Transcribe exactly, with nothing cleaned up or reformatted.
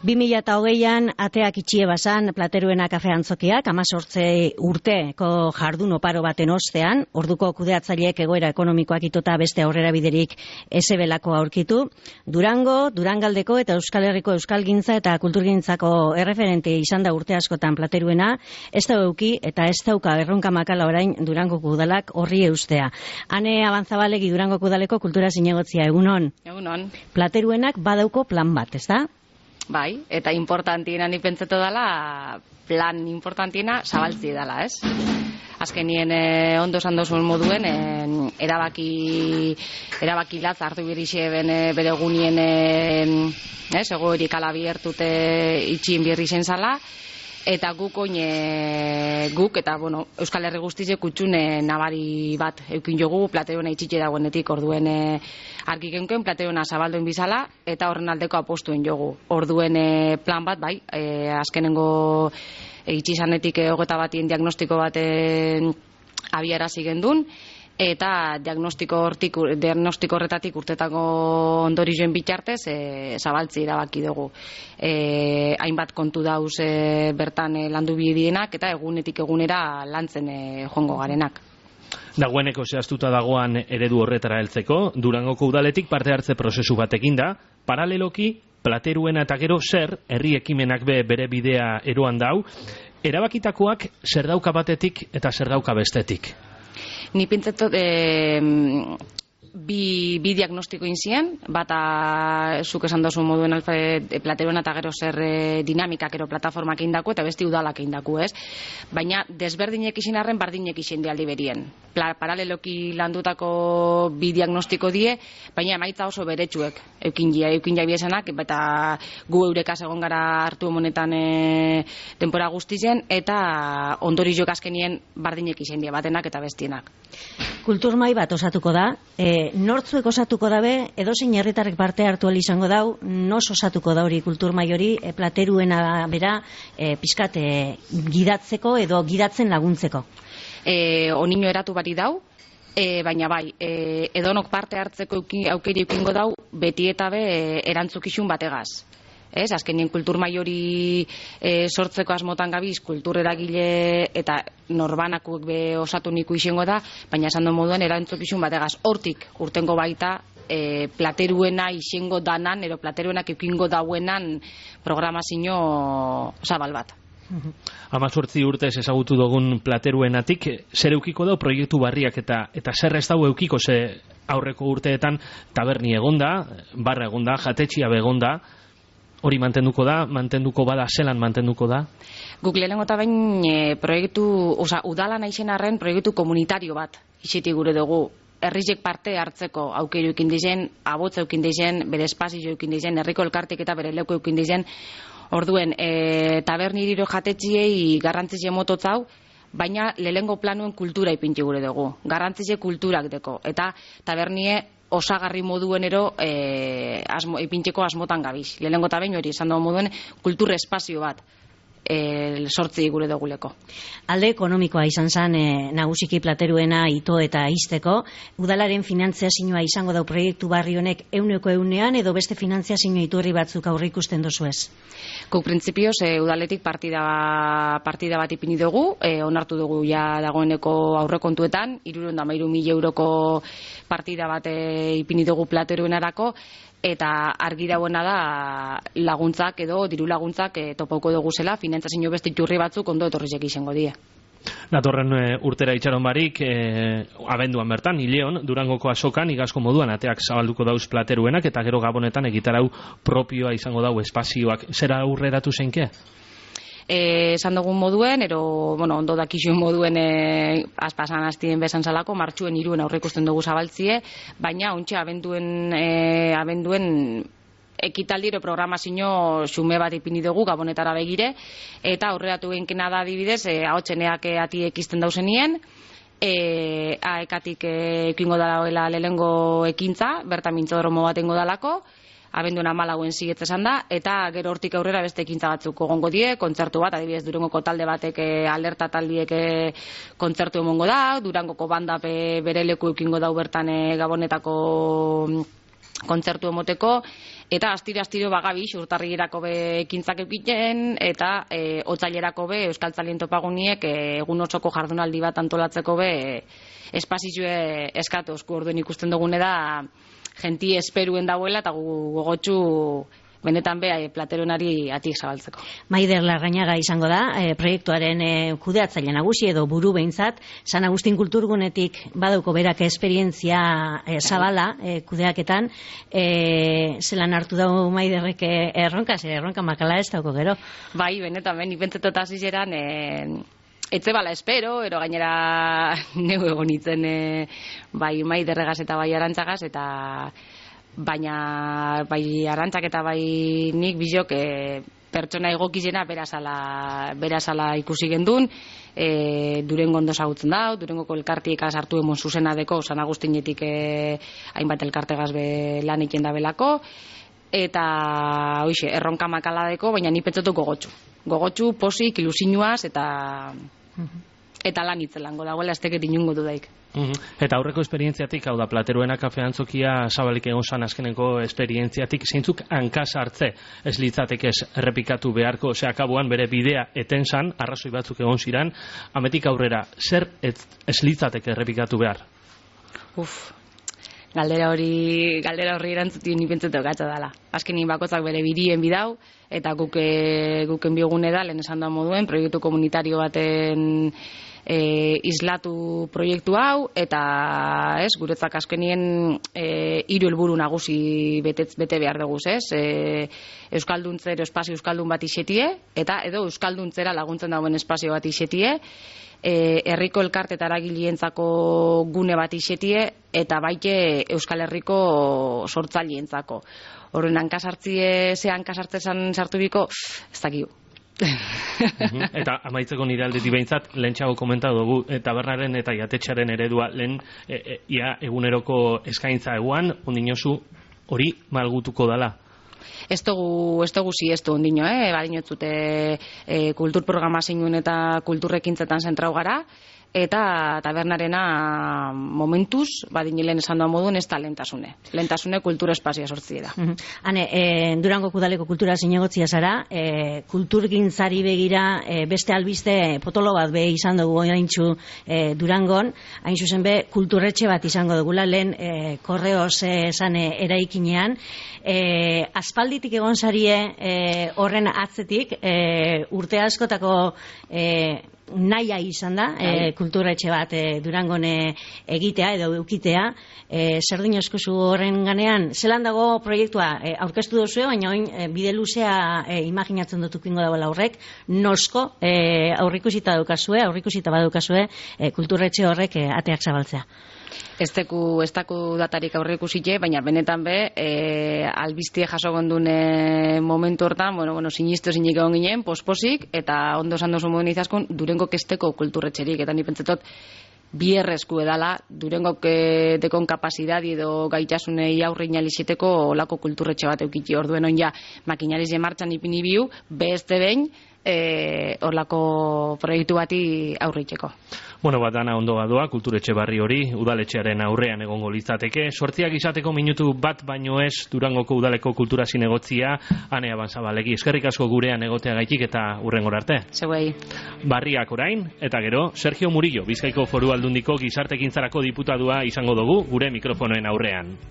bi mila hogeian ateak itxie bazan Plateruena kafe antzokiak, hemezortzi urteko jardun oparo baten ostean, orduko kudeatzaileek egoera ekonomikoak itota beste aurrera biderik ezebelako aurkitu. Durango, Durangaldeko eta Euskal Herriko euskalgintza eta kulturgintzako erreferente izan da urte askotan Plateruena, ez da euki eta ez dauka erronka makala orain Durangoko udalak horri eustea. Ane Abanzabalegi Durangoko udaleko kultura zinegotzia, egunon? Egunon. Plateruenak badauko plan bat, ez da? Bai, eta importantiena ni pentsatu dela, plan importantiena zabaltzi dela, ez? Azkenien eh, ondo esan dozuen moduen, eh, erabaki erabaki latz hartu birixe ben eh, bere egunien eh, ez, egoerik ala biertute itxien birri zen zala, eta guk oin e, guk eta bueno, Euskal Herri guztize kutsune nabari bat eukin jogu Plateruena itxitxe dagoenetik, orduen e, argi genken Plateruena zabalduen bizala eta horren aldeko apostuen jogu. Orduen e, plan bat, bai, e, azkenengo e, itxizanetik e, hogeta batien diagnostiko bat e, abiarazi gendun, eta diagnostiko hortik, diagnostiko horretatik urtetako ondorizuen bitartez e, zabaltzi erabaki dugu. E, hainbat kontu dauz e, bertan e, landu bidienak eta egunetik egunera lantzen e, joango garenak. Dagoeneko zehaztuta dagoan eredu horretara heltzeko, Durangoko udaletik parte hartze prozesu batekin da, paraleloki Plateruena eta gero zer herri ekimenak be bere bidea eroan dau, erabakitakoak zer dauka batetik eta zer dauka bestetik. Ni pentsatzen eh, bi, bi diagnostiko inzien, bata zuk esan dozu moduen Alfred Plateruena eta gero zer e, dinamikak ero plataformak indako eta besti udalak indako, ez? Baina desberdinek izin arren bardinek izin di aldi berien. Pla, paraleloki landutako bi diagnostiko die, baina emaitza oso beretsuek eukin jia, eukin jia biesenak, eta gu eurekaz egon gara hartu honetan e, denpora guztien, eta ondori jok azkenien bardinek izin die, batenak eta bestienak. Kulturmai bat osatuko da, e, nortzuek osatuko dabe, edozein herritarrek parte hartu ahal izango dau, nos osatuko da hori kulturmai hori, e, Plateruena bera e, pizkat e, gidatzeko edo gidatzen laguntzeko. E, onino eratu bari dau, e, baina bai, e, edonok parte hartzeko aukeri eukingo dau, beti eta be e, erantzukizun bategaz. Ez, azkenien kulturmai hori e, sortzeko asmotan gabiz, kultureragile eta norbanakuek be osatu niku izango da, baina esan du moduan erantzukizun bategaz. Hortik urtengo baita e, Plateruena izango danan, ero Plateruenak eukingo dauenan programazio zabal bat. Hemezortzi urtez ezagutu dugun Plateruenatik, zer eukiko dau proiektu barriak eta eta zer ez dau eukiko, ze aurreko urteetan taberni egonda, barra egonda, jatetxia begonda, hori mantenduko da, mantenduko bada, zelan mantenduko da? Guk lehenengo eta bain e, proiektu, oza, udala naizen arren proiektu komunitario bat izitik gure dugu. Herrizek parte hartzeko aukeru eukin dizen, abotza eukin dizen, bere espazio eukin dizen, herriko elkartik eta bere leuko eukin dizen. Orduen, e, taberni iriro jatetxiei garrantzize mototzau, baina lehenengo planuen kultura ipinti gure dugu. Garrantzize kulturak deko. Eta tabernie osagarri moduen ero e, asmo, ipintxeko asmotan gabiz. Lehenengo eta behin hori esan dugu moduen kultur espazio bat e, sortzi gure duguleko. Alde ekonomikoa izan zen e, nagusiki Plateruena ito eta izteko. Udalaren finantziazioa izango dau proiektu barri honek euneko eunean edo beste finantziazioa iturri batzuk aurre ikusten dozu ez? Guk printzipioz e, udaletik partida, partida bat ipini dugu, e, onartu dugu ja dagoeneko aurrekontuetan, hirurehun eta hamairu mila euroko partida bat e, ipini dugu Plateruenarako, eta argi dagoena da laguntzak edo diru laguntzak e, topauko dugu zela, finantziazio beste iturri batzuk ondo etorrizek izango die. Datorren e, urtera itxaron barik, e, abenduan bertan, Ileon, Durangoko azokan, igazko moduan ateak zabalduko dauz Plateruenak, eta gero Gabonetan egitarau propioa izango dau espazioak. Zera aurreratu zeinke? Esan dugun moduen, ero, bueno, ondo dakizuen moduen e, azpasan hastien bezan salako, martxuen iruen aurreikusten dugu zabaltzie, baina ontxe abenduen, e, abenduen ekitaldiro programazio xume bat ipini dugu Gabonetara begire, eta aurreratu genkena da adibidez, e, ahotseneak e, atiek izten dauzenien, e, aekatik ekingo e, dela lehengo ekintza, bertan mintzodromo bat engo dalako, abenduen amalauen zigetz esan da, eta gero hortik aurrera beste ekintza batzuk egongo die, kontzertu bat, adibidez Durangoko talde batek e, alerta taldiek e, kontzertu emongo da, Durangoko banda bere leku ekingo dau bertan e, Gabonetako kontzertu emoteko, eta astiro-astiro bagabiz urtarrilerako be ekintzak eukiten, eta e, otsailerako be Euskaltzalien topaguniek e, egun osoko jardunaldi bat antolatzeko be e, espazizue eskatu osku. Orduen ikusten dugune da jenti esperuen dauela eta gu gogotsu benetan be plateruenari atik zabaltzeko. Maider Larrañaga izango da, e, proiektuaren e, kudeatzaile nagusi edo buru behintzat, San Agustin Kulturgunetik badauko berak esperientzia e, zabala e, kudeaketan, e, zelan hartu dago Maiderrek erronka, zer erronka makala ez dauko gero. Bai, benetan, ben, ipentzetot hasi zeran, e, etze bala espero, ero gainera neu egonitzen e, bai Maiderregaz eta bai Arantzagaz, eta baina bai Arantzak eta bai nik bizok e, pertsona egokizena berazala, berazala ikusi gendun, e, Durengo ondo zagutzen dau, Durengoko elkartiek sartu emon zuzena deko, San Agustinetik e, hainbat elkartegaz be lan egiten da belako, eta hoixe, erronka makala deko, baina ni pentsetu gogotxu. Gogotxu, posik, ilusinuaz, eta eta lan itzelango dagoela ez teket inungo dudaik. Uhum. Eta aurreko esperientziatik, hau da, Plateruena kafe antzokia zabalik egon zan azkeneko esperientziatik, zeintzuk hankaz hartze ez litzatek ez errepikatu beharko, ose akabuan bere bidea eten zan, arrazoi batzuk egon ziran, ametik aurrera, zer ez, ez litzatek errepikatu behar? Uf, galdera hori galdera horri erantzutio ni pentsetu gatza dela. Azkenin bakotzak bere birien bidau, eta guke, guken biogune da, lehen esan da moduen, proiektu komunitario baten E, islatu proiektu hau, eta ez, guretzak azkenien e, hiru helburu nagusi betez, bete behar dugu, ez? E, Euskalduntzero espazio euskaldun bat isetie, eta edo euskalduntzera laguntzen dauen espazio bat isetie, e, herriko elkarte eta eragilientzako gune bat isetie, eta baite Euskal Herriko sortzaileentzako. Horren hankasartzie, ze hankasartzezan sartu biko, ez dakigu. Eta amaitzeko nire aldetik behintzat, lehentxago komentatu dugu, tabernaren eta jatetxaren eredua lehen e, e, ia eguneroko eskaintza eguan, ondinozu hori malgutuko dala. Ez dugu, ez dugu si ez du ondino, eh? Badinotzute e, kultur programazioen eta kulturrekintzetan zentrau gara, eta tabernarena momentuz, badinilen esan doa modun, ez da lentasune. Lentasune kultura espazioa sortzi da. Uh -huh. Hane, e, Durango Kudaleko kultura zinegotzia zara, e, kulturgintzari begira e, beste albiste potolo bat be izan dugu oinaintxu e, Durangon, hain zuzen be kulturretxe bat izango dugula, lehen e, korreoz esan e, eraikinean, e, aspalditik egon zarie e, horren atzetik, e, urte askotako e, naia izan da, e, kulturetxe bat e, Durangone egitea edo eukitea, e, zer dinozkozu horren ganean, zelan dago proiektua e, aurkeztu duzue, baina oin e, bide luzea e, imaginatzen dut ukingo dagoela horrek, nosko e, aurrikusita daukazue, aurrikusita badukazue e, kulturetxe horrek e, ateak zabaltzea. Ez teku, ez teku datarik aurre ikusite, baina benetan be, e, albiztie jaso gondun e, momentu hortan, bueno, bueno, sinistu zinik egon ginen, posposik, eta ondo esan dozu moduen izaskun, Durengo kesteko kulturretxerik, eta ni pentsetot, bierrezku edala, Durengo dekon kapasidadi edo gaitasunei aurre inaliziteko olako kulturretxe bat eukitzi, orduen on ja, makinariz martxan ipini biu, beste behin, e, orlako proiektu bati aurreitzeko. Bueno, bat dana ondo badoa, kulturetxe barri hori, udaletxearen aurrean egongo litzateke. Sortziak izateko minutu bat baino ez Durangoko udaleko kultura zinegotzia, Ane Abanzabalegi. Eskerrik asko gurean egotea gaitik eta hurrengora arte. Zeuei. Barriak orain, eta gero, Sergio Murillo, Bizkaiko Foru Aldundiko gizartekintzarako diputadua izango dugu gure mikrofonoen aurrean.